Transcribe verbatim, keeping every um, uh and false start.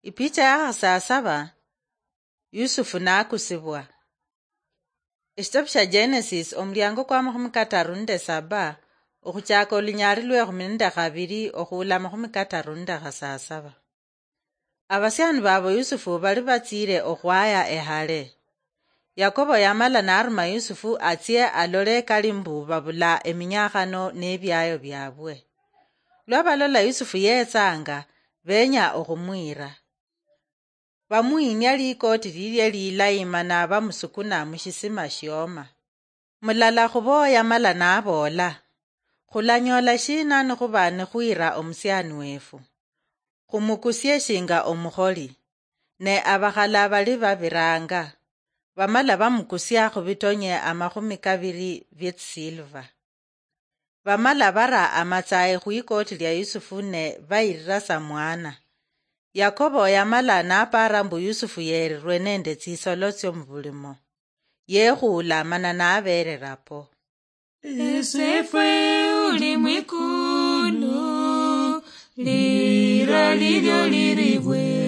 Ipicha ya khasasaba, Yusufu nakusibwa. Eshitabu shia Genesis, omuliango kwa makhumi kataru nende saba, okhuchaka olunyali lwekhumi nende khabiri okhuula makhumi kataru nende khasasaba. Abasiani babo Yusufu bali batsiile okhwaya ehale. Yakobo yamala naruma Yusufu atsie alole kali mbu babula eminyakhano nebiayo biabwe. Lwa balola Yusufu yetsanga, benya okhumwira. Bamuhinia likoti lilie lilayi mana bamusukuna mushisima shioma. Mulala khubo yamala naboola, "Khulanyoola shina nikhuba nikhwira omusiani wefu? Khumukusie shinga omukholi." Ne abakhala bali babiranga, bamala bamukusia khubitonye amakhumi kabiri bietsisilva. Bamala bara amatsayi khwikoti lia Yusufu ne bayirira sa mwana. Yakobo yamala napara mbu Yusufu yerirwe nende tsisolo tsio mubulimo. Yekhuula mana naberera po. Esefwe uli mwikulu, lira lilio liribwe.